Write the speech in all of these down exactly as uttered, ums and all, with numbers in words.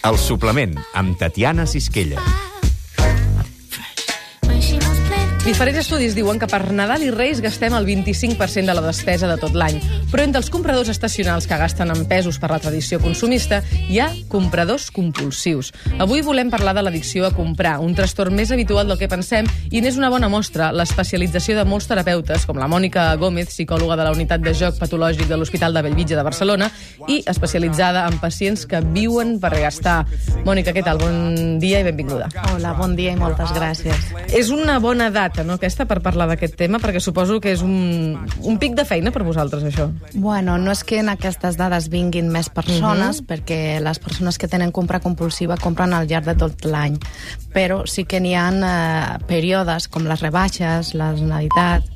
El suplement, amb Tatiana Sisquella. Diferents estudis diuen que per Nadal i Reis gastem el vint-i-cinc per cent de la despesa de tot l'any. Però entre els compradors estacionals que gasten en pesos per la tradició consumista, hi ha compradors compulsius. Avui volem parlar de l'addicció a comprar, un trastorn més habitual del que pensem, i n'és una bona mostra l'especialització de molts terapeutes, com la Mònica Gómez, psicòloga de la Unitat de Joc Patològic de l'Hospital de Bellvitge de Barcelona, i especialitzada en pacients que viuen per gastar. Mònica, què tal? Bon dia i benvinguda. Hola, bon dia i moltes gràcies. És una bona data, no, aquesta, per parlar d'aquest tema, perquè suposo que és un, un pic de feina per vosaltres, això. Bueno, no és que en aquestes dades vinguin més persones, uh-huh. perquè les persones que tenen compra compulsiva compren al llarg de tot l'any, però sí que n'hi ha eh, períodes com les rebaixes, la Navidad,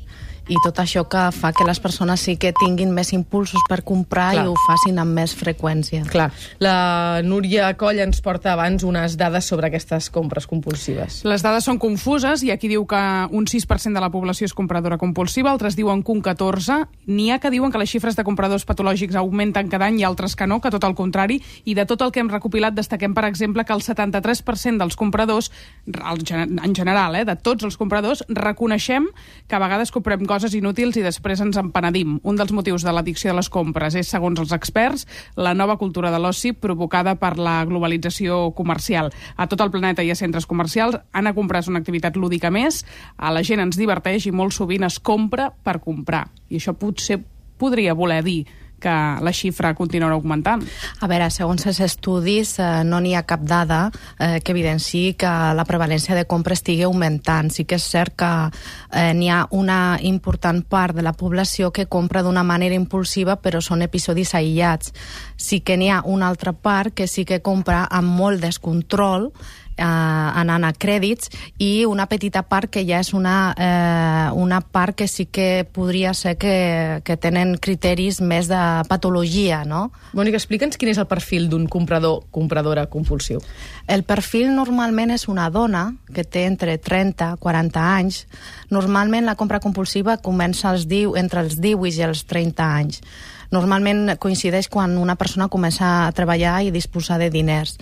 i tot això que fa que les persones sí que tinguin més impulsos per comprar. Clar. I ho facin amb més freqüència. Clar. La Núria Coll ens porta abans unes dades sobre aquestes compres compulsives. Les dades són confuses, i aquí diu que un sis per cent de la població és compradora compulsiva, altres diuen que un catorze per cent. N'hi ha que diuen que les xifres de compradors patològics augmenten cada any i altres que no, que tot el contrari, i de tot el que hem recopilat destaquem, per exemple, que el setanta-tres per cent dels compradors, en general, eh, de tots els compradors, reconeixem que a vegades comprem coses inútils i després ens en penedim. Un dels motius de l'addicció de les compres és, segons els experts, la nova cultura de l'oci provocada per la globalització comercial. A tot el planeta hi ha centres comercials, anar a comprar és una activitat lúdica més, a la gent ens diverteix i molt sovint es compra per comprar. I això potser podria voler dir que la xifra continuarà augmentant. A veure, segons els estudis, eh, no n'hi ha cap dada eh, que evidenciï que la prevalència de compra estigui augmentant. Sí que és cert que eh, n'hi ha una important part de la població que compra d'una manera impulsiva, però són episodis aïllats. Sí que n'hi ha una altra part que sí que compra amb molt descontrol, Eh, anant a crèdits, i una petita part que ja és una, eh, una part que sí que podria ser que, que tenen criteris més de patologia, no? Mònica, explica'ns quin és el perfil d'un comprador, compradora compulsiu. El perfil normalment és una dona que té entre trenta i quaranta anys. Normalment la compra compulsiva comença als diu, entre els divuit i els trenta anys. Normalment coincideix quan una persona comença a treballar i disposar de diners.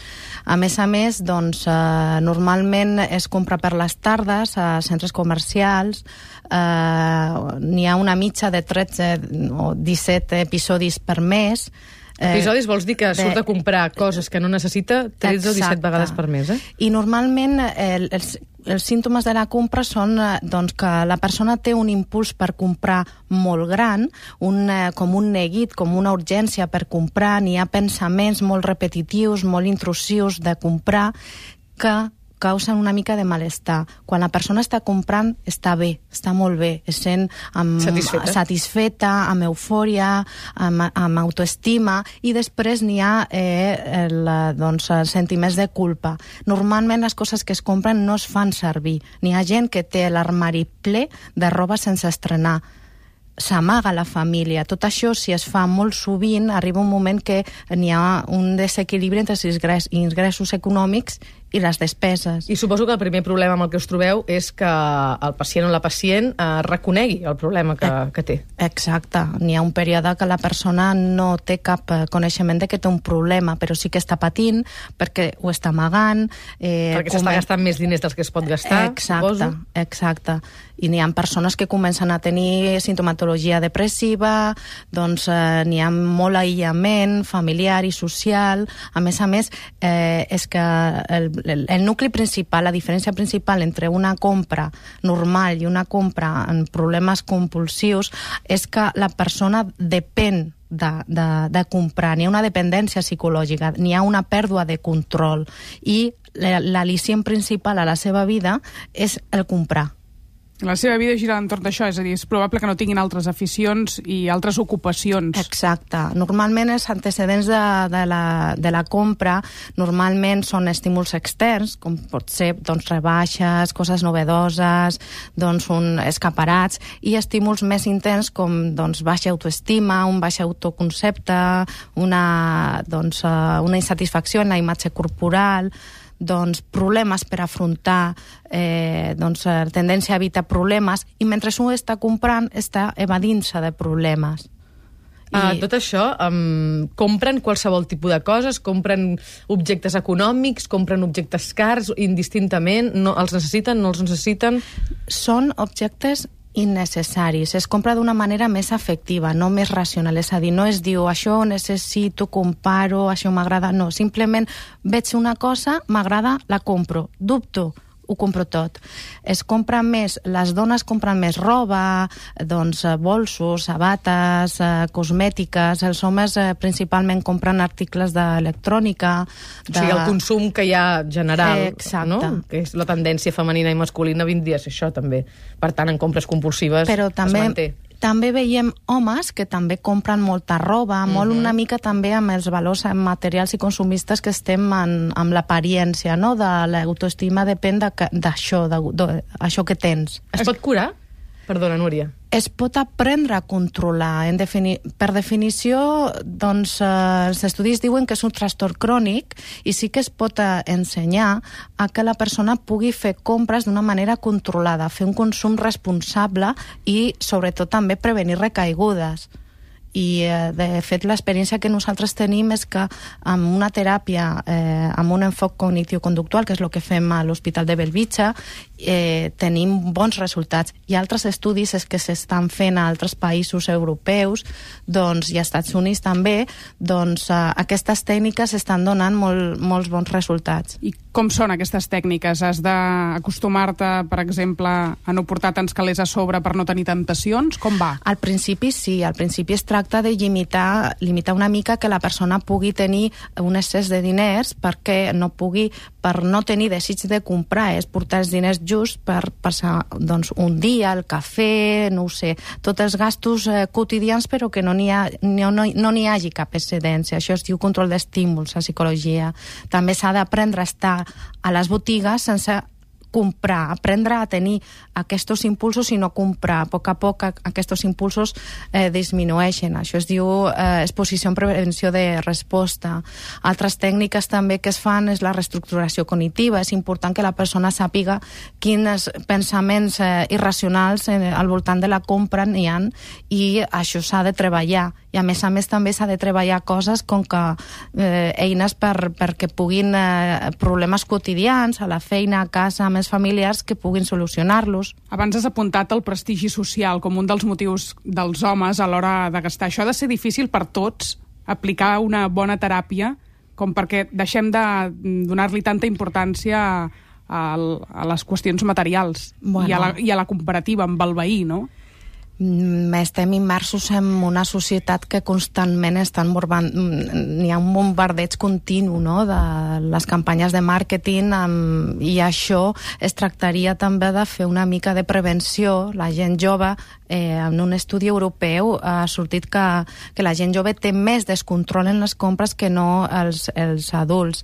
A més a més, doncs, eh, normalment es compra per les tardes a centres comercials. Eh, n'hi ha una mitja de tretze o disset episodis per mes. Episodis vols dir que surt de comprar coses que no necessita tretze o disset vegades per mes, eh? I normalment el, els, els símptomes de la compra són doncs, que la persona té un impuls per comprar molt gran, un, com un neguit, com una urgència per comprar. N'hi ha pensaments molt repetitius, molt intrusius de comprar, que causen una mica de malestar. Quan la persona està comprant, està bé, està molt bé, es sent amb, satisfeta. satisfeta, amb eufòria, amb, amb autoestima, i després n'hi ha eh, el, doncs, els sentiments de culpa. Normalment les coses que es compren no es fan servir. N'hi ha gent que té l'armari ple de roba sense estrenar. S'amaga la família. Tot això, si es fa molt sovint, arriba un moment que n'hi ha un desequilibri entre els ingressos econòmics i les despeses. I suposo que el primer problema amb el que us trobeu és que el pacient o la pacient eh, reconegui el problema que, que té. Exacte. N'hi ha un període que la persona no té cap coneixement de que té un problema, però sí que està patint perquè ho està amagant. Eh, perquè s'està gastant més diners dels que es pot gastar, exacte, suposo. Exacte. I n'hi ha persones que comencen a tenir sintomatologia depressiva, doncs eh, n'hi ha molt aïllament familiar i social. A més a més, eh, és que el El, el nucli principal, la diferència principal entre una compra normal i una compra en problemes compulsius és que la persona depèn de, de, de comprar. N'hi ha una dependència psicològica, n'hi ha una pèrdua de control, i l'al·licient principal a la seva vida és el comprar. La seva vida gira entorn d'això, és a dir, és probable que no tinguin altres aficions i altres ocupacions. Exacte. Normalment els antecedents de, de, la, de la compra normalment són estímuls externs, com pot ser doncs, rebaixes, coses novedoses, doncs, un, escaparats, i estímuls més intens com doncs, baixa autoestima, un baix autoconcepte, una, doncs, una insatisfacció en la imatge corporal, doncs, problemes per afrontar, eh, doncs, tendència a evitar problemes, i mentre un està comprant està evadint-se de problemes. Uh, tot això, um, compren qualsevol tipus de coses, compren objectes econòmics, compren objectes cars, indistintament, no, els necessiten, no els necessiten? Són objectes innecessaris. Es compra d'una manera més afectiva, no més racional. És a dir, no es diu això ho necessito, comparo, això m'agrada. No, simplement veig una cosa, m'agrada, la compro. Dubto, ho compro tot. Es compra més, les dones compren més roba, doncs bolsos, sabates, eh, cosmètiques. Els homes eh, principalment compren articles d'electrònica. De... O sigui, el consum que hi ha general, Exacte. no? Que és la tendència femenina i masculina vindria a ser això, també. Per tant, en compres compulsives Però també, es manté. també veiem homes que també compren molta roba, molt Mhm. una mica també amb els valors materials i consumistes que estem en, amb l'apariència, no? De l'autoestima depèn d'això, de, de, de, això que tens. Es pot curar? Perdona, Núria. Es pot aprendre a controlar. En defini per definició, doncs, eh, els estudis diuen que és un trastorn crònic i sí que es pot eh, ensenyar a que la persona pugui fer compres d'una manera controlada, fer un consum responsable i, sobretot, també prevenir recaigudes. I, eh, de fet, l'experiència que nosaltres tenim és que amb una teràpia, eh, amb un enfoc cognitiu-conductual, que és el que fem a l'Hospital de Bellvitge, eh, tenim bons resultats. Hi ha altres estudis que s'estan fent a altres països europeus, doncs, i als Estats Units també, doncs eh, aquestes tècniques estan donant molt, molts bons resultats. I com són aquestes tècniques? Has d'acostumar-te, per exemple, a no portar tants calés a sobre per no tenir tentacions? Com va? Al principi sí, al principi es tracta de limitar, limitar una mica que la persona pugui tenir un excés de diners perquè no pugui, per no tenir desig de comprar, és portar els diners just per passar doncs, un dia, el cafè, no ho sé, tots els gastos eh, quotidians, però que no n'hi ha, no, no, no n'hi hagi cap excedència. Això es diu control d'estímuls a psicologia. També s'ha d'aprendre a estar a les botigues sense comprar, aprendre a tenir aquests impulsos i no comprar. A poc a poc aquests impulsos eh, disminueixen. Això es diu eh, exposició en prevenció de resposta. Altres tècniques també que es fan és la reestructuració cognitiva. És important que la persona sàpiga quins pensaments eh, irracionals eh, al voltant de la compra n'hi ha i això s'ha de treballar. I a més a més també s'ha de treballar coses com que eh, eines per, perquè puguin eh, problemes quotidians a la feina, a casa, amb els familiars que puguin solucionar-los. Abans has apuntat el prestigi social com un dels motius dels homes a l'hora de gastar. Això ha de ser difícil per tots, aplicar una bona teràpia, com perquè deixem de donar-li tanta importància a, a les qüestions materials bueno. i, a la, i a la comparativa amb el veí, no? Estem immersos en una societat que constantment estan borbant... N'hi ha un bombardeig continu, no?, de les campanyes de màrqueting amb... i això es tractaria també de fer una mica de prevenció. La gent jove, eh, en un estudi europeu ha sortit que, que la gent jove té més descontrol en les compres que no els, els adults.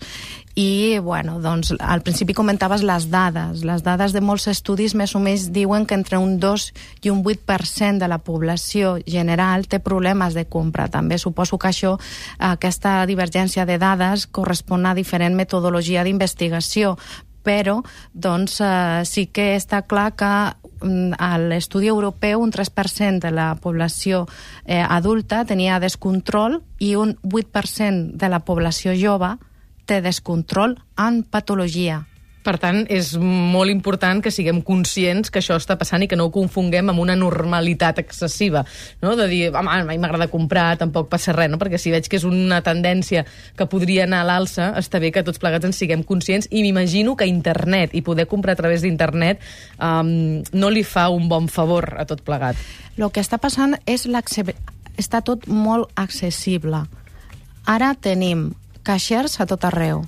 I, bueno, doncs, al principi comentaves les dades. Les dades de molts estudis més o menys diuen que entre un dos i un vuit per cent de la població general té problemes de compra. També suposo que això, aquesta divergència de dades correspon a diferent metodologia d'investigació, però doncs, eh, sí que està clar que a l'estudi europeu un tres per cent de la població eh, adulta tenia descontrol i un vuit per cent de la població jove té descontrol en patologia. Per tant, és molt important que siguem conscients que això està passant i que no ho confonguem amb una normalitat excessiva, no? De dir, home, a mi m'agrada comprar, tampoc passa res, no? Perquè si veig que és una tendència que podria anar a l'alça, està bé que tots plegats en siguem conscients i m'imagino que internet i poder comprar a través d'internet um, no li fa un bon favor a tot plegat. El que està passant és està tot molt accessible. Ara tenim caixers a tot arreu,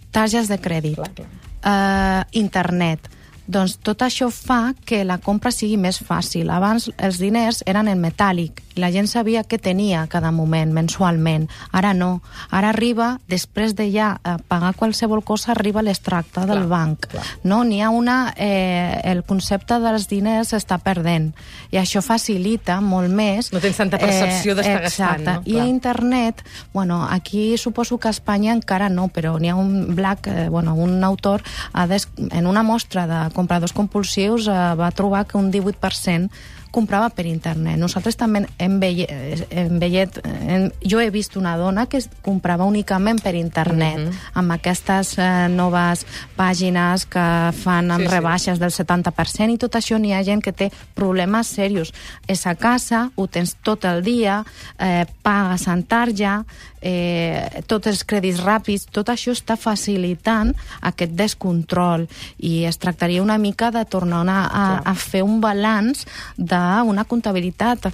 targes de crèdit, clar, clar. Uh, internet. Doncs tot això fa que la compra sigui més fàcil. Abans els diners eren en metàl·lic i la gent sabia què tenia cada moment, mensualment. Ara no. Ara arriba, després de ja pagar qualsevol cosa, arriba l'extracte del banc. Clar. No, n'hi ha una... Eh, el concepte dels diners s'està perdent i això facilita molt més... No tens tanta percepció eh, d'estar gastant, no? I a internet, bueno, aquí suposo que a Espanya encara no, però n'hi ha un Black, eh, bueno, un autor, ha des, en una mostra de compradors compulsius eh, va trobar que un divuit per cent comprava per internet. Nosaltres també hem veient, hem veient hem, jo he vist una dona que comprava únicament per internet, mm-hmm. amb aquestes eh, noves pàgines que fan amb sí, rebaixes sí. del setanta per cent i tot això. N'hi ha gent que té problemes serios. És a casa, ho tens tot el dia, eh, pagues en tarja, eh, tots els crèdits ràpids, tot això està facilitant aquest descontrol i es tractaria una mica de tornar a, a, a fer un balanç d'una comptabilitat eh,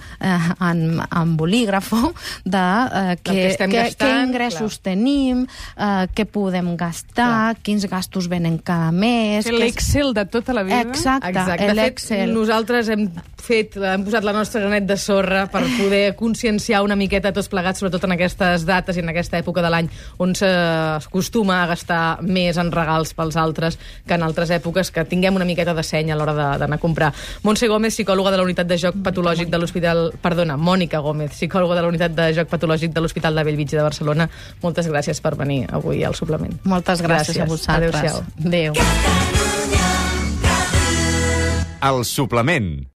en, en bolígrafo de eh, que, que, que, gastant, que ingressos clar. tenim, eh, què podem gastar, clar. quins gastos venen cada mes... L'Excel de tota la vida. Exacte, Exacte. l'Excel. De fet, nosaltres hem fet, hem posat la nostra granet de sorra per poder conscienciar una miqueta tots plegats, sobretot en aquestes dates i en aquesta època de l'any on s'acostuma a gastar més en regals pels altres que en altres èpoques, que tinguem una miqueta de seny a l'hora d'anar a comprar. Montse Gómez, psicòloga de la unitat de joc patològic de l'Hospital... Perdona, Mònica Gómez, psicòloga de la unitat de joc patològic de l'Hospital de Bellvitge de Barcelona. Moltes gràcies per venir avui al suplement. Moltes gràcies, gràcies. a vosaltres. Adéu-siau. Adéu. El suplement.